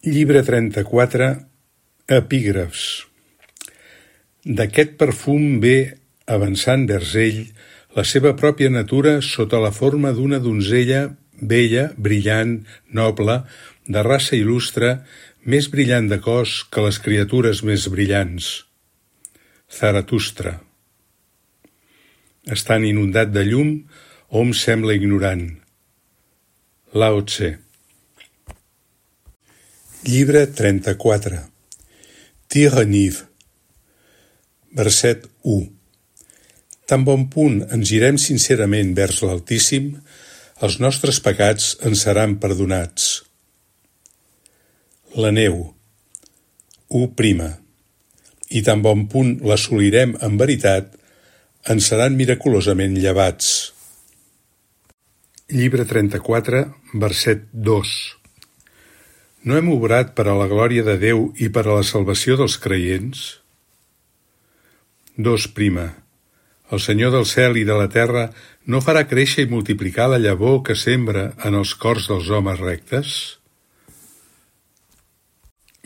Llibre 34, Epígrafs. D'aquest perfum ve, avançant vers ell, la seva pròpia natura sota la forma d'una donzella bella, brillant, noble, de raça il·lustre, més brillant de cos que les criatures més brillants. Zaratustra. Estant inundat de llum, hom sembla ignorant. Lao Tse. Llibre 34. Tireniv. Verset 1. Tan bon punt ens girem sincerament vers l'Altíssim, els nostres pecats ens seran perdonats. La neu. 1. I tan bon punt l'assolirem en veritat, ens seran miraculosament llevats. Llibre 34, verset 2. No hem obrat per a la glòria de Déu i per a la salvació dels creients? 2. El Senyor del cel i de la terra no farà créixer i multiplicar la llavor que sembra en els cors dels homes rectes?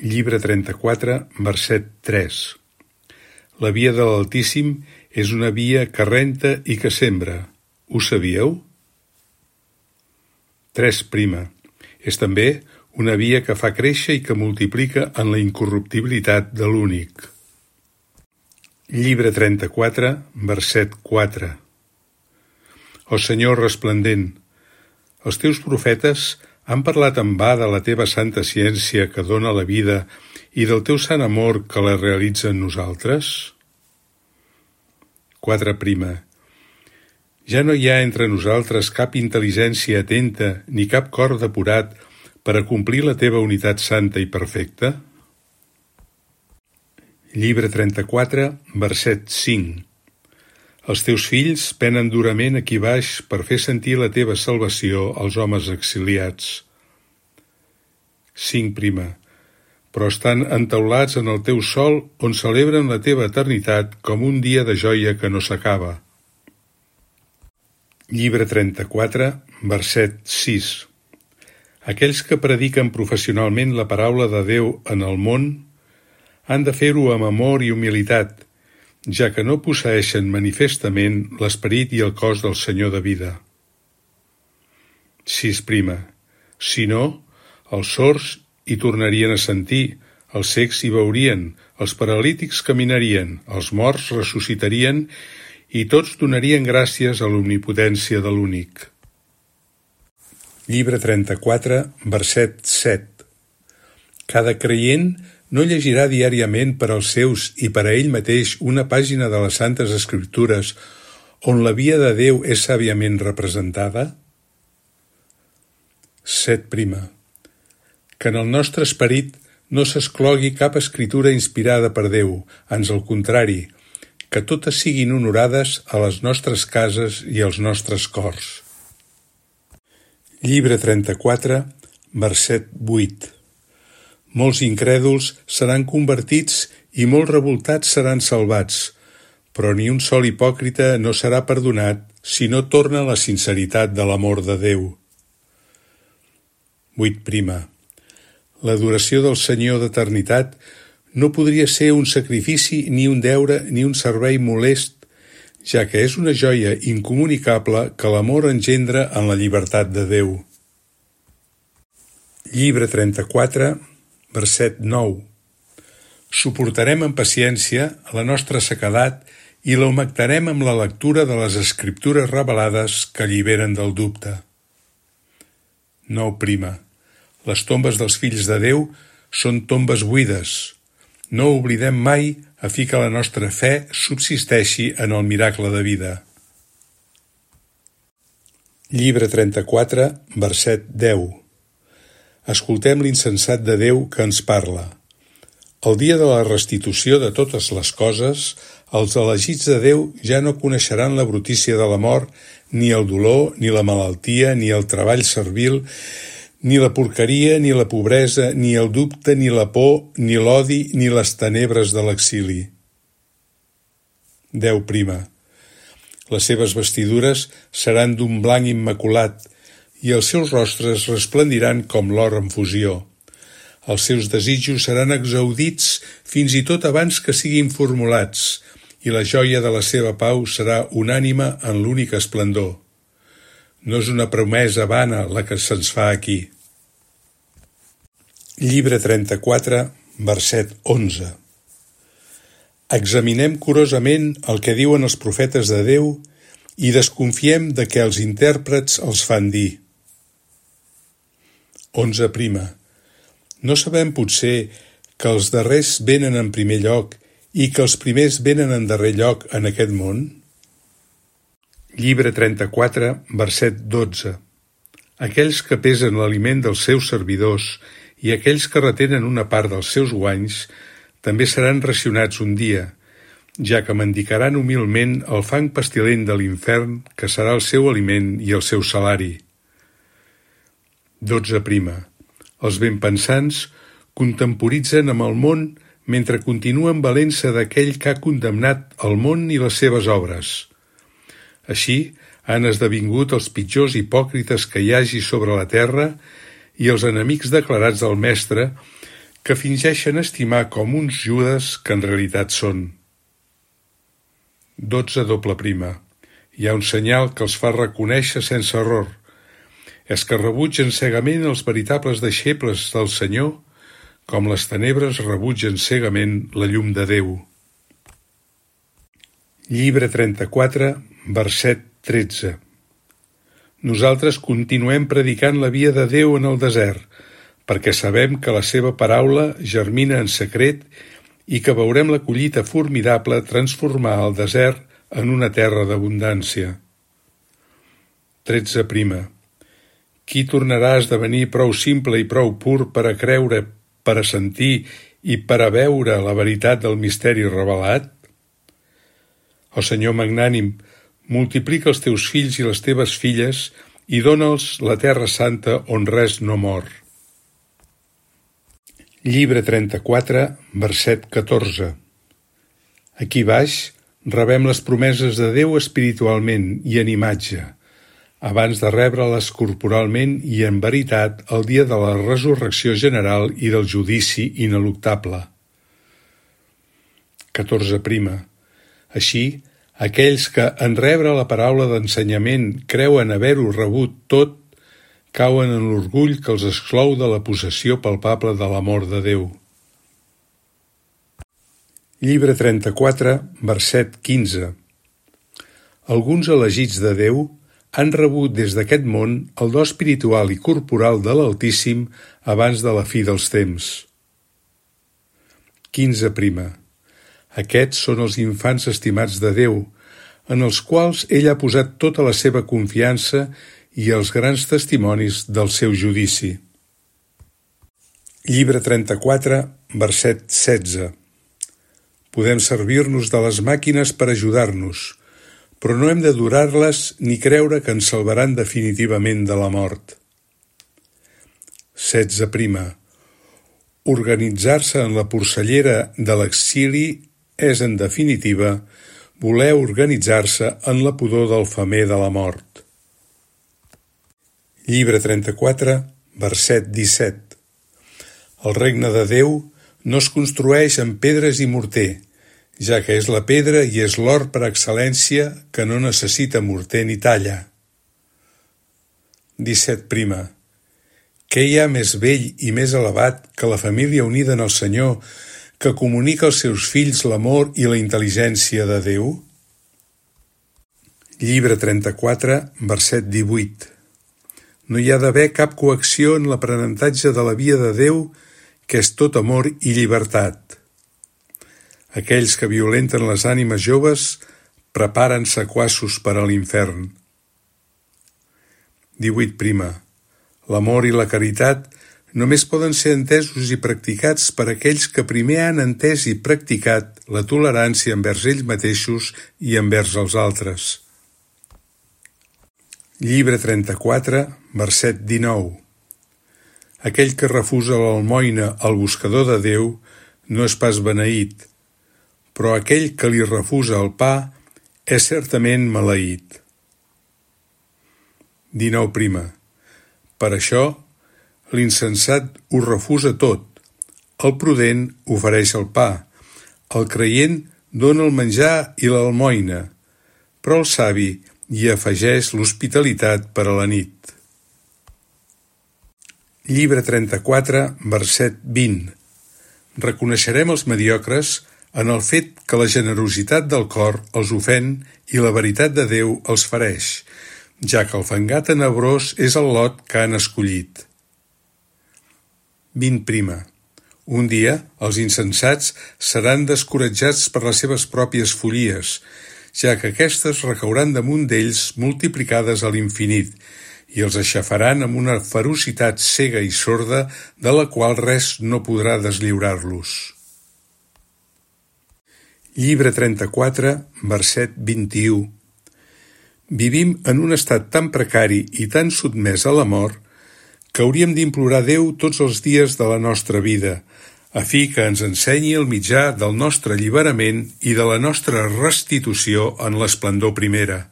Llibre 34, verset 3. La via de l'Altíssim és una via que renta i que sembra. Ho sabíeu? 3. És també una via que fa créixer i que multiplica en la incorruptibilitat de l'únic. Llibre 34, verset 4. Ó Senyor resplendent, els teus profetes han parlat en va de la teva santa ciència que dóna la vida i del teu sant amor que la realitza en nosaltres? 4. Ja no hi ha entre nosaltres cap intel·ligència atenta ni cap cor depurat per a complir la teva unitat santa i perfecta? Llibre 34, verset 5. Els teus fills penen durament aquí baix per fer sentir la teva salvació als homes exiliats. 5. Però estan entaulats en el teu sol on celebren la teva eternitat com un dia de joia que no s'acaba. Llibre 34, verset 6. Aquells que prediquen professionalment la paraula de Déu en el món han de fer-ho amb amor i humilitat, ja que no posseeixen manifestament l'esperit i el cos del Senyor de vida. 6. Si no, els sords hi tornarien a sentir, els cecs hi veurien, els paralítics caminarien, els morts ressuscitarien i tots donarien gràcies a l'omnipotència de l'únic. Llibre 34, verset 7. Cada creient no llegirà diàriament per als seus i per a ell mateix una pàgina de les Santes Escriptures on la via de Déu és sàviament representada? 7. Que en el nostre esperit no s'exclogui cap escritura inspirada per Déu, ans al contrari, que totes siguin honorades a les nostres cases i als nostres cors. Llibre 34, verset 8. Molts incrèduls seran convertits i molts revoltats seran salvats, però ni un sol hipòcrita no serà perdonat si no torna a la sinceritat de l'amor de Déu. 8. L'adoració del Senyor d'eternitat no podria ser un sacrifici, ni un deure, ni un servei molest, ja que és una joia incomunicable que l'amor engendra en la llibertat de Déu. Llibre 34, verset 9. Suportarem amb paciència la nostra sequedat i l'augmentarem amb la lectura de les Escriptures revelades que alliberen del dubte. 9. Les tombes dels fills de Déu són tombes buides. No oblidem mai a fi que la nostra fe subsisteixi en el miracle de vida. Llibre 34, verset 10. Escoltem l'insensat de Déu que ens parla. El dia de la restitució de totes les coses, els elegits de Déu ja no coneixeran la brutícia de la mort, ni el dolor, ni la malaltia, ni el treball servil, ni la porqueria, ni la pobresa, ni el dubte, ni la por, ni l'odi, ni les tenebres de l'exili. 10. Les seves vestidures seran d'un blanc immaculat i els seus rostres resplendiran com l'or en fusió. Els seus desitjos seran exaudits fins i tot abans que siguin formulats, i la joia de la seva pau serà unànime en l'únic esplendor. No és una promesa vana la que se'ns fa aquí. Llibre 34, verset 11. Examinem curosament el que diuen els profetes de Déu i desconfiem de què els intèrprets els fan dir. 11. No sabem potser que els darrers venen en primer lloc i que els primers venen en darrer lloc en aquest món? Llibre 34, verset 12. Aquells que pesen l'aliment dels seus servidors i aquells que retenen una part dels seus guanys també seran racionats un dia, ja que mendicaran humilment el fang pestilent de l'infern, que serà el seu aliment i el seu salari. 12. Els benpensants contemporitzen amb el món mentre continuen valent-se d'aquell que ha condemnat el món i les seves obres. Així han esdevingut els pitjors hipòcrites que hi hagi sobre la terra i els enemics declarats del Mestre, que fingeixen estimar com uns Judes que en realitat són. 12. Hi ha un senyal que els fa reconèixer sense error. És que rebutgen cegament els veritables deixebles del Senyor, com les tenebres rebutgen cegament la llum de Déu. Llibre 34, verset 13. Nosaltres continuem predicant la via de Déu en el desert, perquè sabem que la seva paraula germina en secret i que veurem la collita formidable transformar el desert en una terra d'abundància. 13. Qui tornarà a esdevenir prou simple i prou pur per a creure, per a sentir i per a veure la veritat del misteri revelat? O Senyor magnànim, multiplica els teus fills i les teves filles i dona'ls la terra santa on res no mor. Llibre 34, verset 14. Aquí baix rebem les promeses de Déu espiritualment i en imatge, abans de rebre-les corporalment i en veritat el dia de la resurrecció general i del judici ineluctable. 14. Així, aquells que en rebre la paraula d'ensenyament creuen haver-ho rebut tot, cauen en l'orgull que els exclou de la possessió palpable de l'amor de Déu. Llibre 34, verset 15. Alguns elegits de Déu han rebut des d'aquest món el do espiritual i corporal de l'Altíssim abans de la fi dels temps. 15. Aquests són els infants estimats de Déu, en els quals ell ha posat tota la seva confiança i els grans testimonis del seu judici. Llibre 34, verset 16. Podem servir-nos de les màquines per ajudar-nos, però no hem de durar-les ni creure que ens salvaran definitivament de la mort. 16. Organitzar-se en la porcellera de l'exili és, en definitiva, voler organitzar-se en la pudor del femer de la mort. Llibre 34, verset 17. El regne de Déu no es construeix amb pedres i morter, ja que és la pedra i és l'or per excel·lència que no necessita morter ni talla. 17. Què hi ha més bell i més elevat que la família unida en el Senyor, que comunica als seus fills l'amor i la intel·ligència de Déu? Llibre 34, verset 18. No hi ha d'haver cap coacció en l'aprenentatge de la via de Déu, que és tot amor i llibertat. Aquells que violenten les ànimes joves preparen sequassos per a l'infern. 18. L'amor i la caritat només poden ser entesos i practicats per aquells que primer han entès i practicat la tolerància envers ells mateixos i envers els altres. Llibre 34, verset 19. Aquell que refusa l'almoina al buscador de Déu no és pas beneït, però aquell que li refusa el pa és certament maleït. 19. Per això, l'insensat ho refusa tot, el prudent ofereix el pa, el creient dóna el menjar i l'almoina, però el savi hi afegeix l'hospitalitat per a la nit. Llibre 34, verset 20. Reconeixerem els mediocres en el fet que la generositat del cor els ofèn i la veritat de Déu els fereix, ja que el fangar tenebrós és el lot que han escollit. 20. Un dia els insensats seran descoratjats per les seves pròpies follies, ja que aquestes recauran damunt d'ells multiplicades a l'infinit i els aixafaran amb una ferocitat cega i sorda de la qual res no podrà deslliurar-los. Llibre 34, verset 21. Vivim en un estat tan precari i tan sotmès a la mort que hauríem d'implorar Déu tots els dies de la nostra vida, a fi que ens ensenyi el mitjà del nostre alliberament i de la nostra restitució en l'esplendor primera.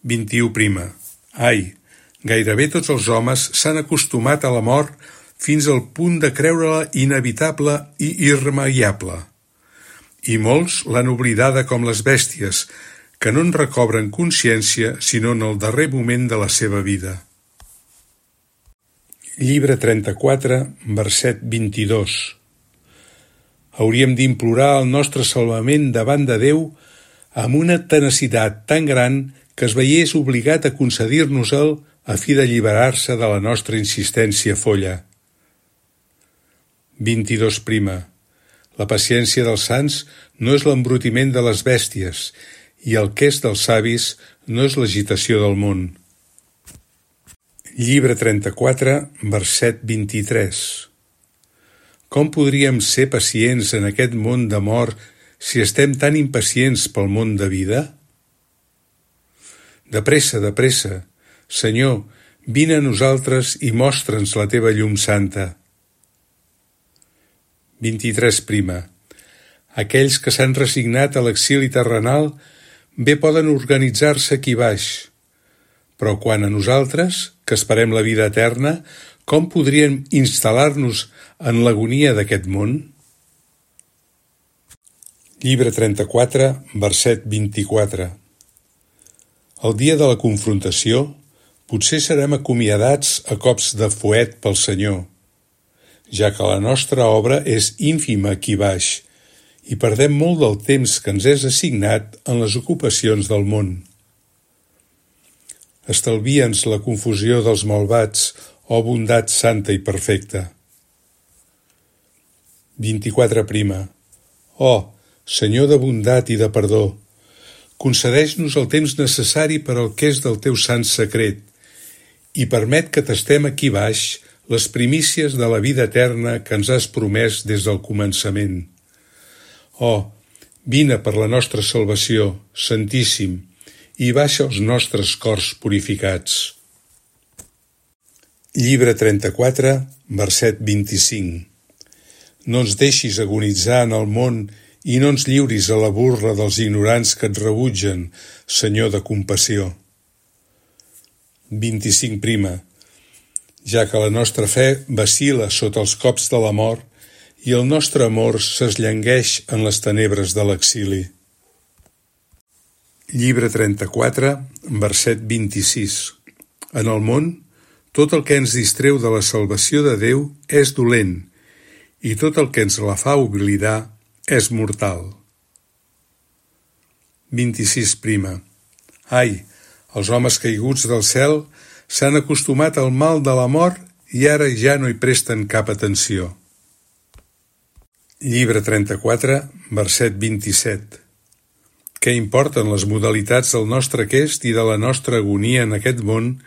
21. Ai, gairebé tots els homes s'han acostumat a la mort fins al punt de creure-la inevitable i irremeiable. I molts l'han oblidada com les bèsties, que no en recobren consciència sinó en el darrer moment de la seva vida. Llibre 34, verset 22. Hauríem d'implorar el nostre salvament davant de Déu amb una tenacitat tan gran que es veiés obligat a concedir-nos-el a fi d'alliberar-se de la nostra insistència folla. 22. La paciència dels sants no és l'embrutiment de les bèsties, i el que és dels savis no és l'agitació del món. Llibre 34, verset 23. Com podríem ser pacients en aquest món de mort si estem tan impacients pel món de vida? De pressa, Senyor, vine a nosaltres i mostra'ns la teva llum santa. 23. Aquells que s'han resignat a l'exili terrenal bé poden organitzar-se aquí baix, però quan a nosaltres, que esperem la vida eterna, com podríem instal·lar-nos en l'agonia d'aquest món? Llibre 34, verset 24. El dia de la confrontació potser serem acomiadats a cops de fuet pel Senyor, ja que la nostra obra és ínfima aquí baix i perdem molt del temps que ens és assignat en les ocupacions del món. Estalvia'ns la confusió dels malvats, ó bondat santa i perfecta. 24. Ó, Senyor de bondat i de perdó, concedeix-nos el temps necessari per al que és del teu sant secret i permet que tastem aquí baix les primícies de la vida eterna que ens has promès des del començament. Oh, vine per la nostra salvació, Santíssim, i baixa els nostres cors purificats. Llibre 34, verset 25. No ens deixis agonitzar en el món i no ens lliuris a la burla dels ignorants que et rebutgen, Senyor de compassió. 25. Ja que la nostra fe vacil·la sota els cops de la mort i el nostre amor s'esllangueix en les tenebres de l'exili. Llibre 34, verset 26. En el món, tot el que ens distreu de la salvació de Déu és dolent, i tot el que ens la fa oblidar és mortal. 26. Ai, els homes caiguts del cel s'han acostumat al mal de la mort i ara ja no hi presten cap atenció. Llibre 34, verset 27. Què importen les modalitats del nostre aquest i de la nostra agonia en aquest món,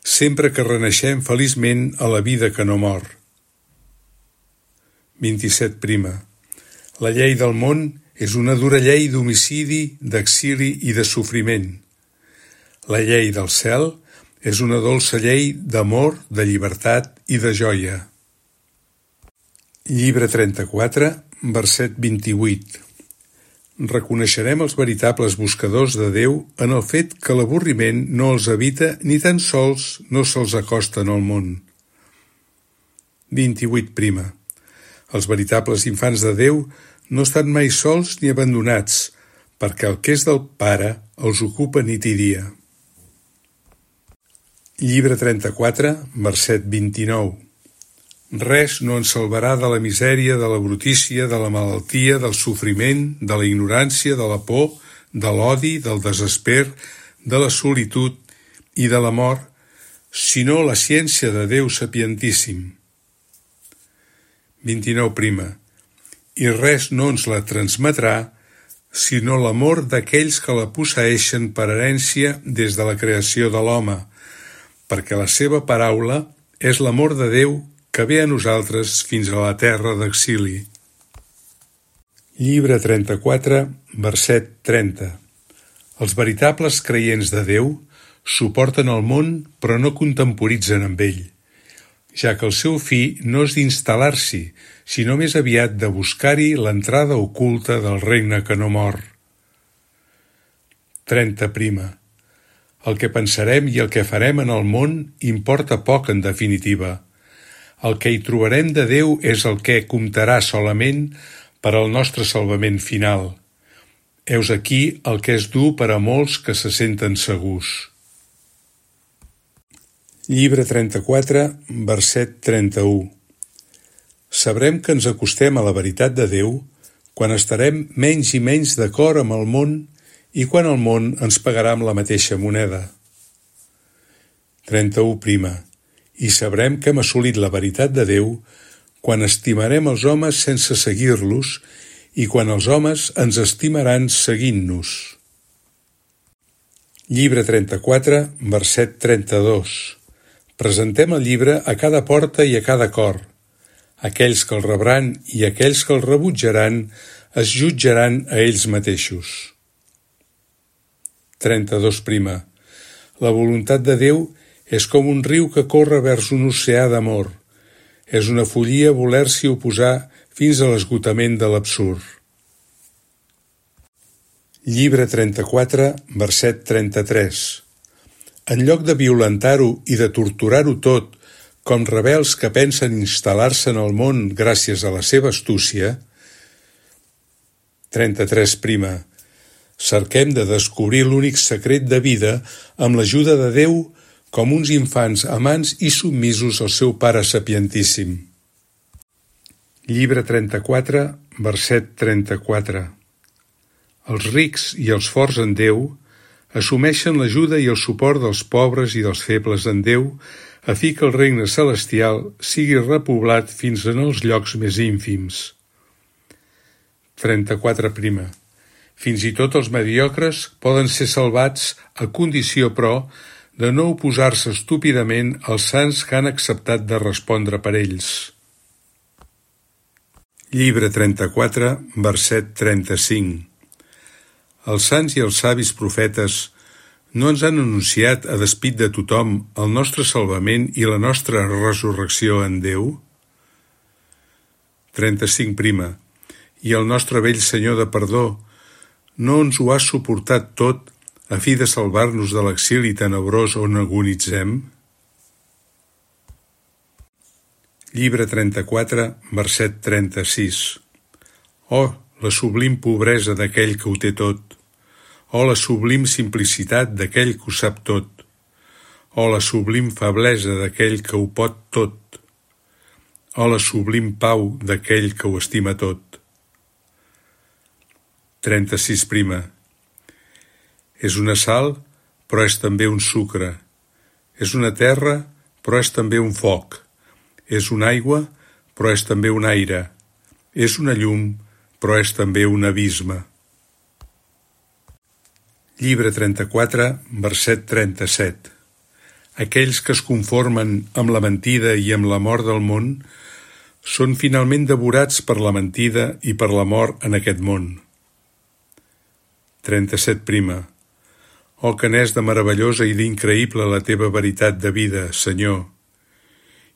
sempre que renaixem feliçment a la vida que no mor? 27. La llei del món és una dura llei d'homicidi, d'exili i de sofriment. La llei del cel és una dolça llei d'amor, de llibertat i de joia. Llibre 34, verset 28. Reconeixerem els veritables buscadors de Déu en el fet que l'avorriment no els evita ni tan sols no se'ls acosta en el món. 28. Els veritables infants de Déu no estan mai sols ni abandonats, perquè el que és del Pare els ocupa nit i dia. Llibre 34, verset 29. Res no ens salvarà de la misèria, de la brutícia, de la malaltia, del sofriment, de la ignorància, de la por, de l'odi, del desesper, de la solitud i de la mort, sinó la ciència de Déu sapientíssim. 29. I res no ens la transmetrà, sinó l'amor d'aquells que la posseeixen per herència des de la creació de l'home, perquè la seva paraula és l'amor de Déu que ve a nosaltres fins a la terra d'exili. Llibre 34, verset 30. Els veritables creients de Déu suporten el món però no contemporitzen amb ell, ja que el seu fi no és d'instal·lar-s'hi, sinó més aviat de buscar-hi l'entrada oculta del regne que no mor. 30. El que pensarem i el que farem en el món importa poc en definitiva. El que hi trobarem de Déu és el que comptarà solament per al nostre salvament final. Heus aquí el que és dur per a molts que se senten segurs. Llibre 34, verset 31. Sabrem que ens acostem a la veritat de Déu quan estarem menys i menys d'acord amb el món i quan el món ens pagarà amb la mateixa moneda. 31. I sabrem que hem assolit la veritat de Déu quan estimarem els homes sense seguir-los i quan els homes ens estimaran seguint-nos. Llibre 34, verset 32. Presentem el llibre a cada porta i a cada cor. Aquells que el rebran i aquells que el rebutjaran es jutjaran a ells mateixos. 32. La voluntat de Déu és com un riu que corre vers un oceà d'amor. És una follia voler-s'hi oposar fins a l'esgotament de l'absurd. Llibre 34, verset 33. En lloc de violentar-ho i de torturar-ho tot, com rebels que pensen instal·lar-se en el món gràcies a la seva astúcia. 33. Cerquem de descobrir l'únic secret de vida amb l'ajuda de Déu com uns infants amants i submisos al seu Pare sapientíssim. Llibre 34, verset 34. Els rics i els forts en Déu assumeixen l'ajuda i el suport dels pobres i dels febles en Déu a fi que el regne celestial sigui repoblat fins en els llocs més ínfims. 34. Fins i tot els mediocres poden ser salvats a condició, però, de no oposar-se estúpidament als sants que han acceptat de respondre per ells. Llibre 34, verset 35. Els sants i els savis profetes no ens han anunciat a despit de tothom el nostre salvament i la nostra resurrecció en Déu? 35. I el nostre vell Senyor de perdó no ens ho ha suportat tot a fi de salvar-nos de l'exili tenebrós on agonitzem? Llibre 34, verset 36. Oh, la sublim pobresa d'aquell que ho té tot! O la sublim simplicitat d'aquell que ho sap tot! O la sublim feblesa d'aquell que ho pot tot! O la sublim pau d'aquell que ho estima tot! 36. És una sal, però és també un sucre. És una terra, però és també un foc. És una aigua, però és també un aire. És una llum, però és també un abisme. Llibre 34, verset 37. Aquells que es conformen amb la mentida i amb la mort del món són finalment devorats per la mentida i per la mort en aquest món. 37. Oh, que n'és de meravellosa i d'increïble la teva veritat de vida, Senyor,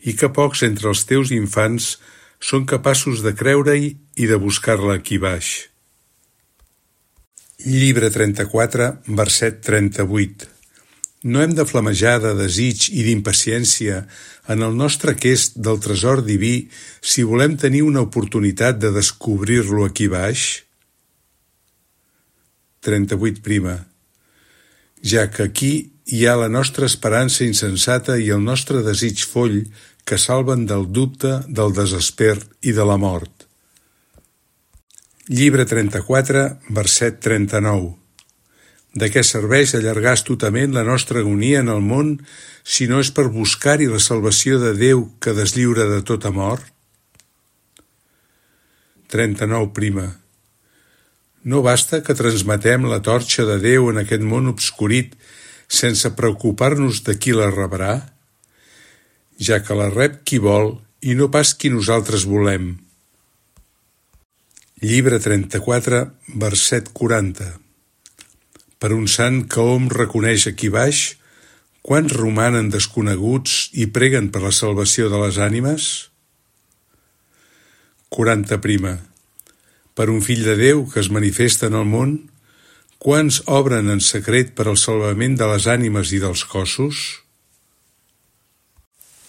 i que pocs entre els teus infants són capaços de creure-hi i de buscar-la aquí baix. Llibre 34, verset 38. No hem de flamejar de desig i d'impaciència en el nostre aquest del tresor diví si volem tenir una oportunitat de descobrir-lo aquí baix? 38. Ja que aquí hi ha la nostra esperança insensata i el nostre desig foll que salven del dubte, del desesper i de la mort. Llibre 34, verset 39. De què serveix allargar astutament la nostra agonia en el món si no és per buscar-hi la salvació de Déu que deslliura de tota mort? 39. No basta que transmetem la torxa de Déu en aquest món obscurit sense preocupar-nos de qui la rebrà, ja que la rep qui vol i no pas qui nosaltres volem. Llibre 34, verset 40. Per un sant que hom reconeix aquí baix, quants romanen desconeguts i preguen per la salvació de les ànimes? 40. Per un fill de Déu que es manifesta en el món, quants obren en secret per al salvament de les ànimes i dels cossos?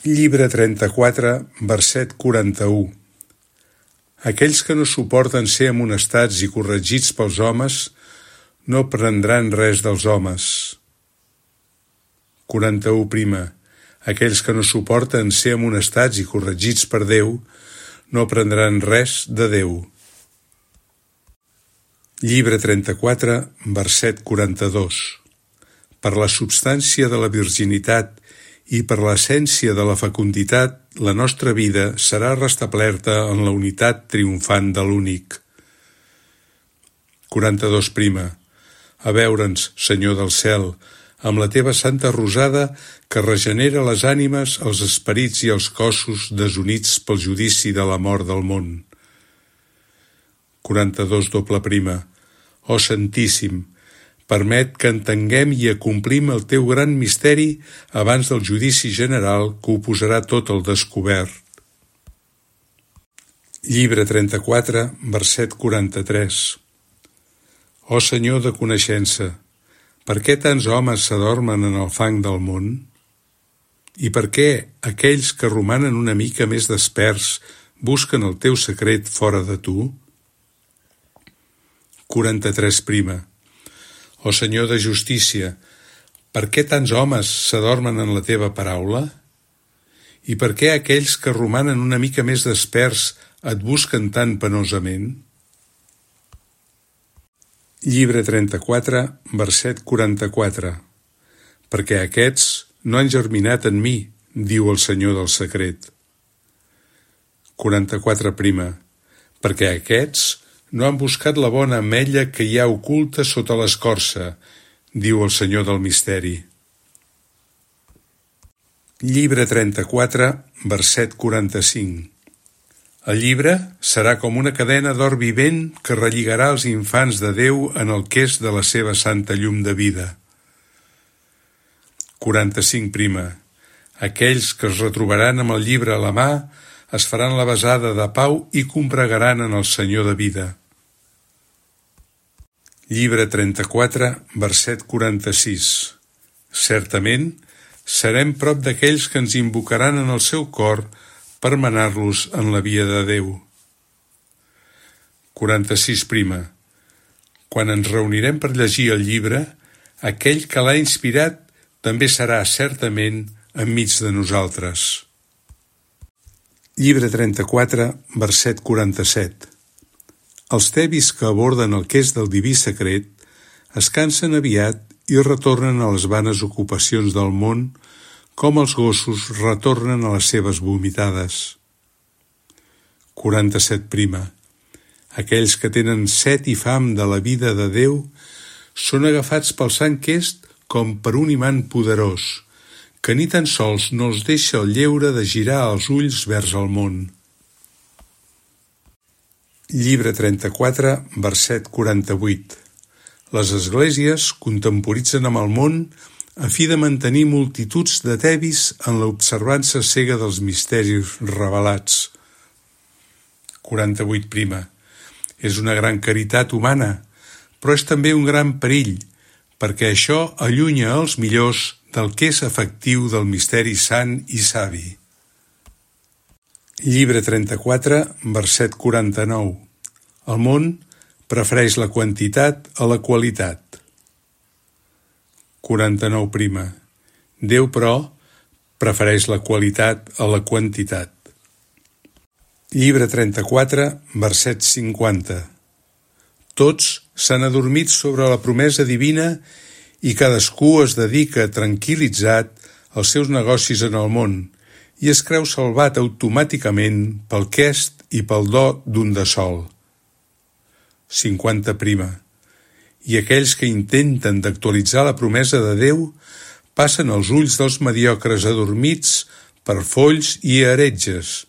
Llibre 34, verset 41. Aquells que no suporten ser amonestats i corregits pels homes no prendran res dels homes. 41. Aquells que no suporten ser amonestats i corregits per Déu no prendran res de Déu. Llibre 34, verset 42. Per la substància de la virginitat i per l'essència de la fecunditat, la nostra vida serà restablerta en la unitat triomfant de l'únic. 42. A veure'ns, Senyor del cel, amb la teva santa rosada que regenera les ànimes, els esperits i els cossos desunits pel judici de la mort del món. 42. Ó Santíssim, permet que entenguem i acomplim el teu gran misteri abans del judici general que ho posarà tot al descobert. Llibre 34, verset 43. Ó Senyor de coneixença, per què tants homes s'adormen en el fang del món? I per què aquells que romanen una mica més desperts busquen el teu secret fora de tu? 43. Ó Senyor de justícia, per què tants homes s'adormen en la teva paraula? I per què aquells que romanen una mica més desperts et busquen tan penosament? Llibre 34, verset 44. Perquè aquests no han germinat en mi, diu el Senyor del secret. 44. Perquè aquests no han buscat la bona ametlla que hi ha oculta sota l'escorça, diu el Senyor del misteri. Llibre 34, verset 45. El llibre serà com una cadena d'or vivent que relligarà els infants de Déu en el queix de la seva santa llum de vida. 45. Aquells que es retrobaran amb el llibre a la mà es faran la besada de pau i combregaran en el Senyor de vida. Llibre 34, verset 46. Certament, serem prop d'aquells que ens invocaran en el seu cor per menar-los en la via de Déu. 46. Quan ens reunirem per llegir el llibre, aquell que l'ha inspirat també serà certament enmig de nosaltres. Llibre 34, verset 47. Els tebis que aborden el queix del diví secret es cansen aviat i retornen a les vanes ocupacions del món com els gossos retornen a les seves vomitades. 47. Aquells que tenen set i fam de la vida de Déu són agafats pel Sant Est com per un imant poderós, que ni tan sols no els deixa el lleure de girar els ulls vers el món. Llibre 34, verset 48. Les esglésies contemporitzen amb el món a fi de mantenir multituds de tebis en l'observança cega dels misteris revelats. 48. És una gran caritat humana, però és també un gran perill, perquè això allunya els millors del que és efectiu del misteri sant i savi. Llibre 34, verset 49. El món prefereix la quantitat a la qualitat. 49. Déu, però, prefereix la qualitat a la quantitat. Llibre 34, verset 50. Tots s'han adormit sobre la promesa divina i cadascú es dedica tranquil·litzat als seus negocis en el món i es creu salvat automàticament pel quest i pel do d'un de sol. 50. I aquells que intenten d'actualitzar la promesa de Déu passen els ulls dels mediocres adormits per folls i heretges.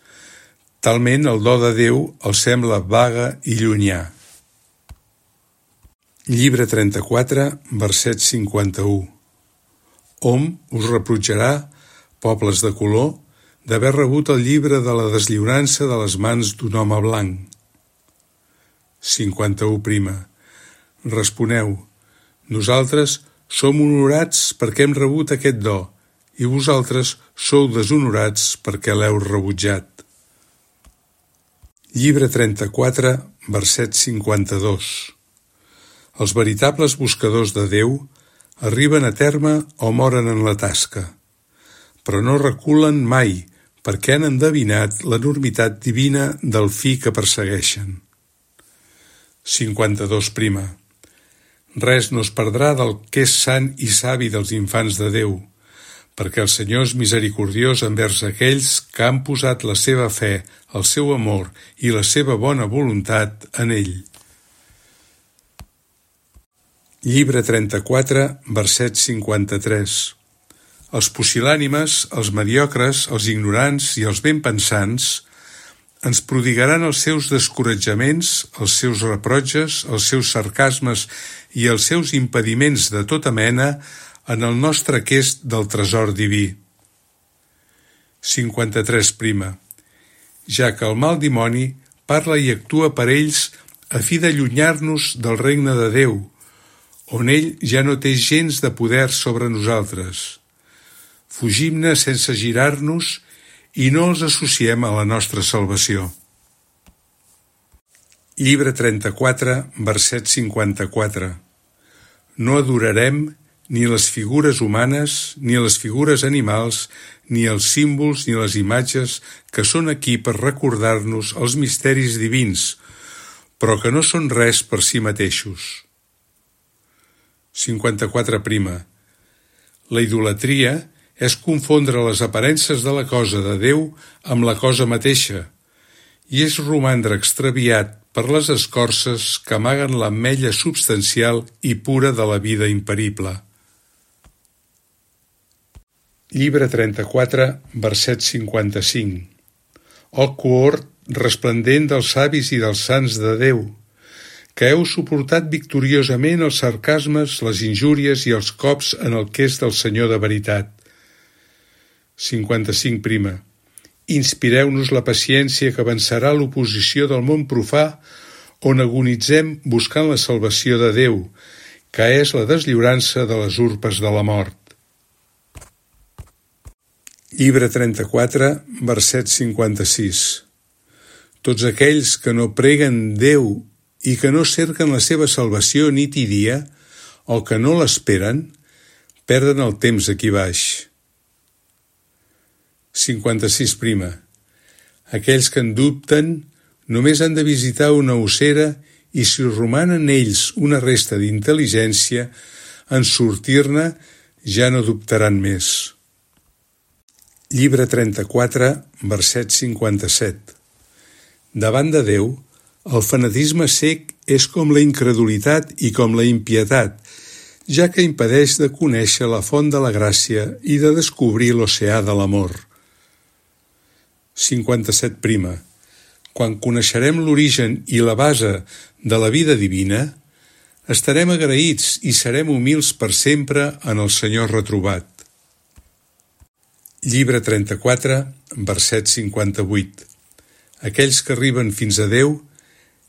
Talment el do de Déu els sembla vaga i llunyà. Llibre 34, verset 51. Hom us reprotjarà, pobles de color, d'haver rebut el llibre de la deslliurança de les mans d'un home blanc. 51. Responeu, nosaltres som honorats perquè hem rebut aquest do, i vosaltres sou deshonorats perquè l'heu rebutjat. Llibre 34, verset 52. Els veritables buscadors de Déu arriben a terme o moren en la tasca, però no reculen mai perquè han endevinat l'enormitat divina del fi que persegueixen. 52. Res no es perdrà del que és sant i savi dels infants de Déu, perquè el Senyor és misericordiós envers aquells que han posat la seva fe, el seu amor i la seva bona voluntat en ell. Llibre 34, verset 53. Els pusil·lànimes, els mediocres, els ignorants i els ben pensants ens prodigaran els seus descoratjaments, els seus reprotges, els seus sarcasmes i els seus impediments de tota mena en el nostre aquest del tresor diví. 53. Ja que el mal dimoni parla i actua per ells a fi d'allunyar-nos del regne de Déu, on ell ja no té gens de poder sobre nosaltres. Fugim-ne sense girar-nos i no els associem a la nostra salvació. Llibre 34, verset 54. No adorarem ni les figures humanes, ni les figures animals, ni els símbols ni les imatges que són aquí per recordar-nos els misteris divins, però que no són res per si mateixos. 54. La idolatria és confondre les aparences de la cosa de Déu amb la cosa mateixa, i és romandre extraviat per les escorces que amaguen l'ametlla substancial i pura de la vida imperible. Llibre 34, verset 55. Oh cohort resplendent dels savis i dels sants de Déu, que heu suportat victoriosament els sarcasmes, les injúries i els cops en el que és del Senyor de veritat. 55. Inspireu-nos la paciència que vencerà l'oposició del món profà, on agonitzem buscant la salvació de Déu, que és la deslliurança de les urpes de la mort. Llibre 34, verset 56. Tots aquells que no preguen Déu i que no cerquen la seva salvació nit i dia, o que no l'esperen, perden el temps aquí baix. 56. Aquells que en dubten només han de visitar una ossera i si roman en ells una resta d'intel·ligència, en sortir-ne ja no dubtaran més. Llibre 34, verset 57. Davant de Déu, el fanatisme cec és com la incredulitat i com la impietat, ja que impedeix de conèixer la font de la gràcia i de descobrir l'oceà de l'amor. 57. Quan coneixerem l'origen i la base de la vida divina, estarem agraïts i serem humils per sempre en el Senyor retrobat. Llibre 34, verset 58. Aquells que arriben fins a Déu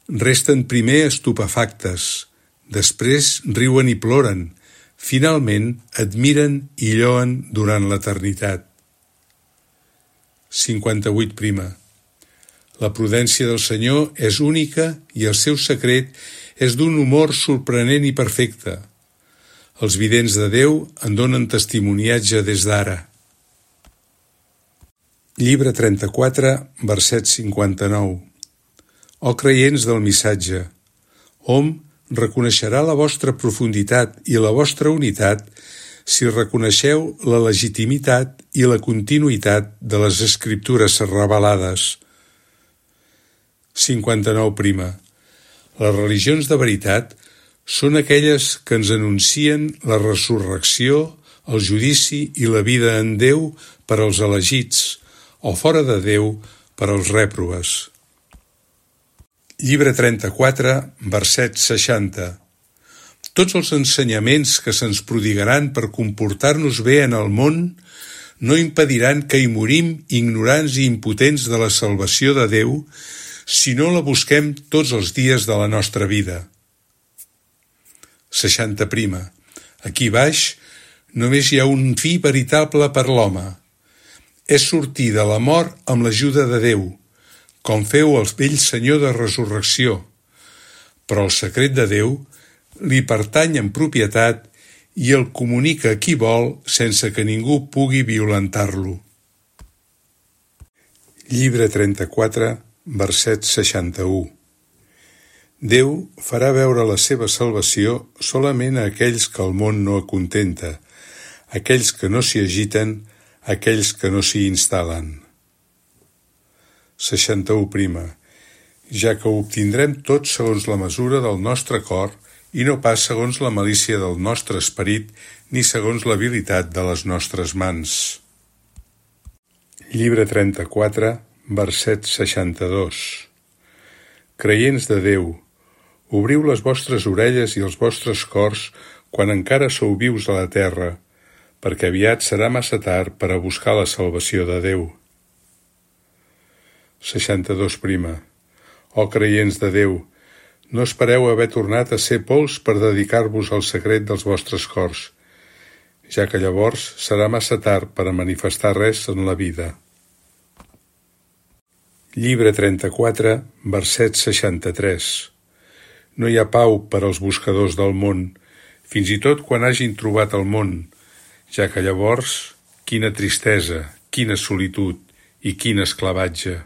resten primer estupefactes, després riuen i ploren, finalment admiren i lloen durant l'eternitat. 58. La prudència del Senyor és única i el seu secret és d'un humor sorprenent i perfecte. Els vidents de Déu en donen testimoniatge des d'ara. Llibre 34, verset 59. Ó creients del missatge, hom reconeixerà la vostra profunditat i la vostra unitat si reconeixeu la legitimitat i la continuïtat de les Escriptures revelades. 59. Les religions de veritat són aquelles que ens anuncien la resurrecció, el judici i la vida en Déu per als elegits, o fora de Déu per als rèprobes. Llibre 34, verset 60. Tots els ensenyaments que se'ns prodigaran per comportar-nos bé en el món no impediran que hi morim ignorants i impotents de la salvació de Déu si no la busquem tots els dies de la nostra vida. 60. Aquí baix només hi ha un fi veritable per l'home. És sortir de la mort amb l'ajuda de Déu, com feu el vell Senyor de resurrecció. Però el secret de Déu li pertany en propietat i el comunica a qui vol sense que ningú pugui violentar-lo. Llibre 34, verset 61. Déu farà veure la seva salvació solament a aquells que el món no acontenta, aquells que no s'hi agiten, aquells que no s'hi instal·len. 61. Ja que ho obtindrem tot segons la mesura del nostre cor i no pas segons la malícia del nostre esperit ni segons l'habilitat de les nostres mans. Llibre 34, verset 62. Creients de Déu, obriu les vostres orelles i els vostres cors quan encara sou vius a la terra, perquè aviat serà massa tard per a buscar la salvació de Déu. 62. Ó creients de Déu, no espereu haver tornat a ser pols per dedicar-vos al secret dels vostres cors, ja que llavors serà massa tard per a manifestar res en la vida. Llibre 34, verset 63. No hi ha pau per als buscadors del món, fins i tot quan hagin trobat el món, ja que llavors, quina tristesa, quina solitud i quin esclavatge.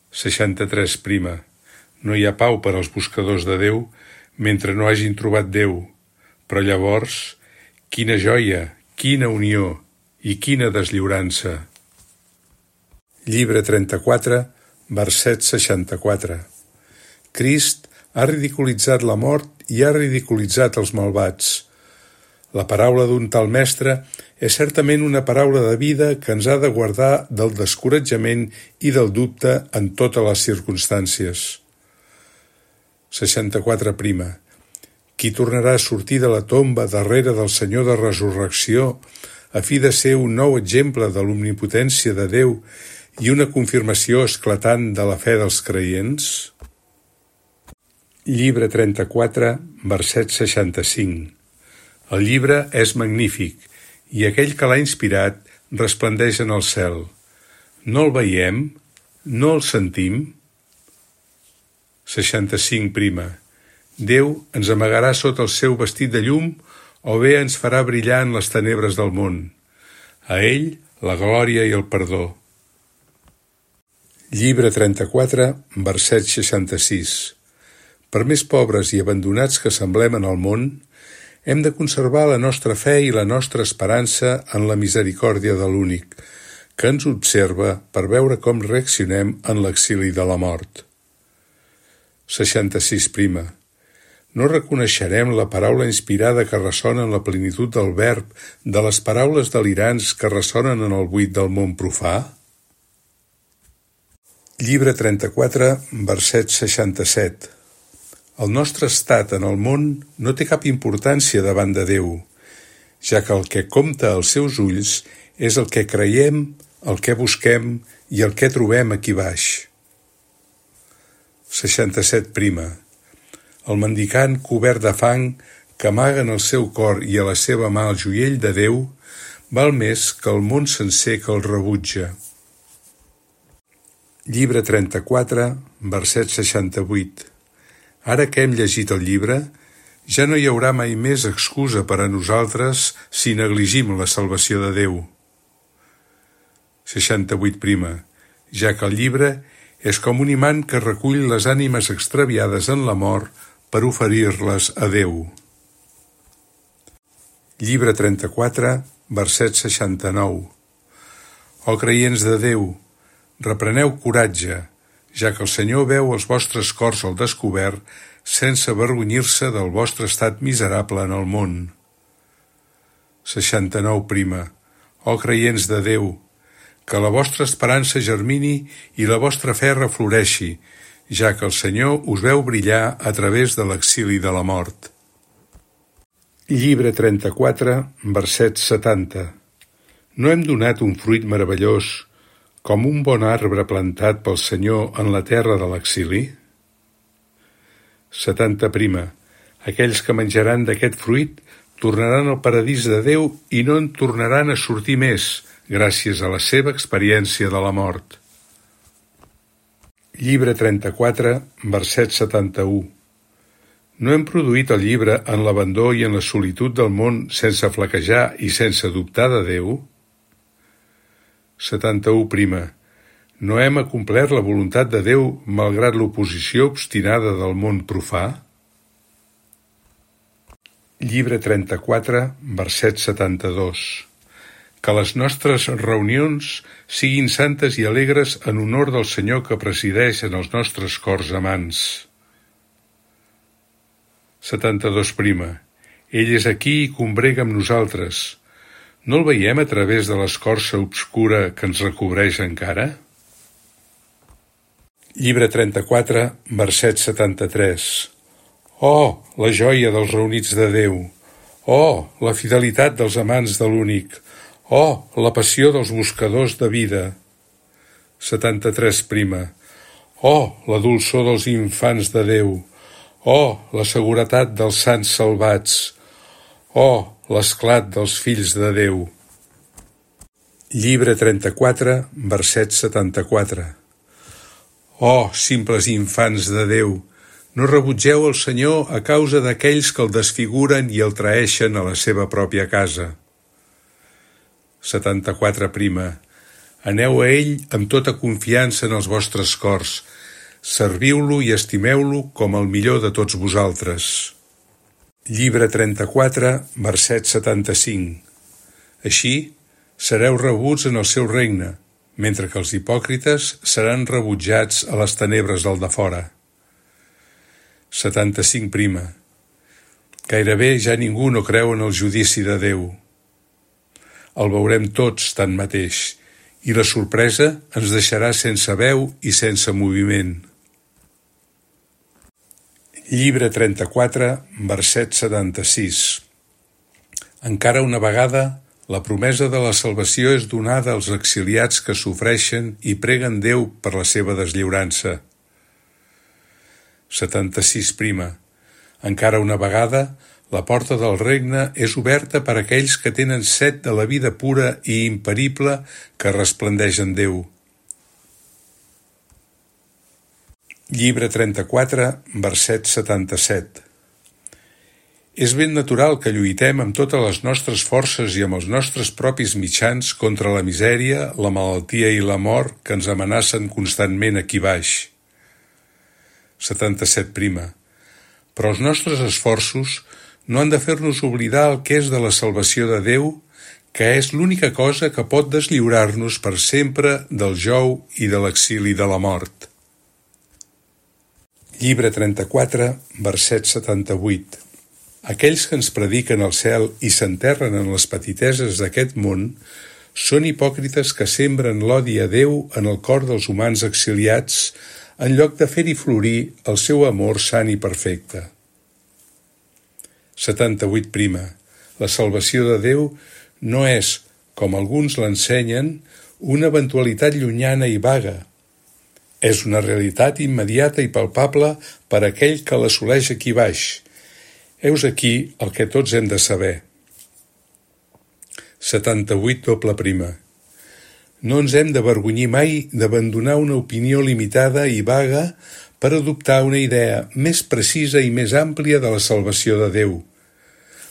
63. No hi ha pau per als buscadors de Déu mentre no hagin trobat Déu, però llavors, quina joia, quina unió i quina deslliurança. Llibre 34, verset 64. Crist ha ridiculitzat la mort i ha ridiculitzat els malvats. La paraula d'un tal mestre és certament una paraula de vida que ens ha de guardar del descoratjament i del dubte en totes les circumstàncies. 64. Qui tornarà a sortir de la tomba darrere del Senyor de resurrecció a fi de ser un nou exemple de l'omnipotència de Déu i una confirmació esclatant de la fe dels creients? Llibre 34, verset 65. El llibre és magnífic i aquell que l'ha inspirat resplendeix en el cel. No el veiem? No el sentim? 65. Déu ens amagarà sota el seu vestit de llum o bé ens farà brillar en les tenebres del món. A ell la glòria i el perdó. Llibre 34, verset 66. Per més pobres i abandonats que semblem en el món, hem de conservar la nostra fe i la nostra esperança en la misericòrdia de l'únic, que ens observa per veure com reaccionem en l'exili de la mort. 66. No reconeixerem la paraula inspirada que ressona en la plenitud del verb de les paraules delirants que ressonen en el buit del món profà? Llibre 34, verset 67. El nostre estat en el món no té cap importància davant de Déu, ja que el que compta als seus ulls és el que creiem, el que busquem i el que trobem aquí baix. 67. El mendicant cobert de fang que amaga en el seu cor i a la seva mà el joiell de Déu, val més que el món sencer que el rebutja. Llibre 34, verset 68. Ara que hem llegit el llibre, ja no hi haurà mai més excusa per a nosaltres si negligim la salvació de Déu. 68. Ja que el llibre és com un imant que recull les ànimes extraviades en la mort per oferir-les a Déu. Llibre 34, verset 69. Ó creients de Déu, repreneu coratge, ja que el Senyor veu els vostres cors al descobert sense avergonyir-se del vostre estat miserable en el món. 69. Ó creients de Déu, que la vostra esperança germini i la vostra fe refloreixi, ja que el Senyor us veu brillar a través de l'exili de la mort. Llibre 34, verset 70. No hem donat un fruit meravellós, com un bon arbre plantat pel Senyor en la terra de l'exili? 70. Aquells que menjaran d'aquest fruit tornaran al paradís de Déu i no en tornaran a sortir més, gràcies a la seva experiència de la mort. Llibre 34, verset 71. No hem produït el llibre en l'abandó i en la solitud del món sense flaquejar i sense dubtar de Déu? 71. No hem acomplert la voluntat de Déu malgrat l'oposició obstinada del món profà? Llibre 34, verset 72. Que les nostres reunions siguin santes i alegres en honor del Senyor que presideix en els nostres cors amants. 72. Ell és aquí i combrega amb nosaltres. No el veiem a través de l'escorça obscura que ens recobreix encara? Llibre 34, verset 73. Oh, la joia dels reunits de Déu! Oh, la fidelitat dels amants de l'únic! Oh, la passió dels buscadors de vida! 73. Oh, la dolçor dels infants de Déu! Oh, la seguretat dels sants salvats! Oh, l'esclat dels fills de Déu! Llibre 34, verset 74. Oh, simples infants de Déu, no rebutgeu el Senyor a causa d'aquells que el desfiguren i el traeixen a la seva pròpia casa. 74. Aneu a ell amb tota confiança en els vostres cors, serviu-lo i estimeu-lo com el millor de tots vosaltres. Llibre 34, verset 75. Així, sereu rebuts en el seu regne, mentre que els hipòcrites seran rebutjats a les tenebres del defora. 75. Gairebé ja ningú no creu en el judici de Déu. El veurem tots tanmateix, i la sorpresa ens deixarà sense veu i sense moviment. Llibre 34, verset 76. Encara una vegada, la promesa de la salvació és donada als exiliats que sofreixen i preguen Déu per la seva deslliurança. 76. Encara una vegada, la porta del regne és oberta per a aquells que tenen set de la vida pura i imperible que resplendeix en Déu. Llibre 34, verset 77. És ben natural que lluitem amb totes les nostres forces i amb els nostres propis mitjans contra la misèria, la malaltia i la mort que ens amenacen constantment aquí baix. 77. Però els nostres esforços no han de fer-nos oblidar el que és de la salvació de Déu, que és l'única cosa que pot deslliurar-nos per sempre del jou i de l'exili de la mort. Llibre 34, verset 78. Aquells que ens prediquen el cel i s'enterren en les petiteses d'aquest món són hipòcrites que sembren l'odi a Déu en el cor dels humans exiliats en lloc de fer-hi florir el seu amor sant i perfecte. 78. La salvació de Déu no és, com alguns l'ensenyen, una eventualitat llunyana i vaga. És una realitat immediata i palpable per a aquell que l'assoleix aquí baix. Heus aquí el que tots hem de saber. 78. No ens hem d'avergonyir mai d'abandonar una opinió limitada i vaga per adoptar una idea més precisa i més àmplia de la salvació de Déu,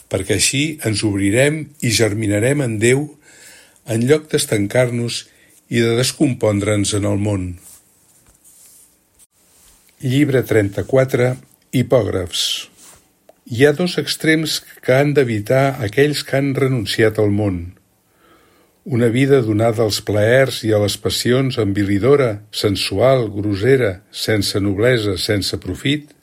perquè així ens obrirem i germinarem en Déu en lloc d'estancar-nos i de descompondre'ns en el món. Llibre 34, Hipògrafs. Hi ha dos extrems que han d'evitar aquells que han renunciat al món. Una vida donada als plaers i a les passions envilidora, sensual, grossera, sense noblesa, sense profit,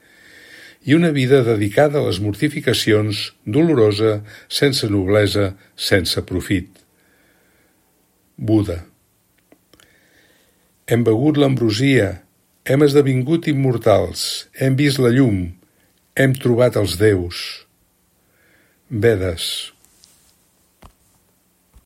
i una vida dedicada a les mortificacions, dolorosa, sense noblesa, sense profit. Buda. Hem begut l'ambrosia, hem esdevingut immortals, hem vist la llum, hem trobat els déus. Vedes.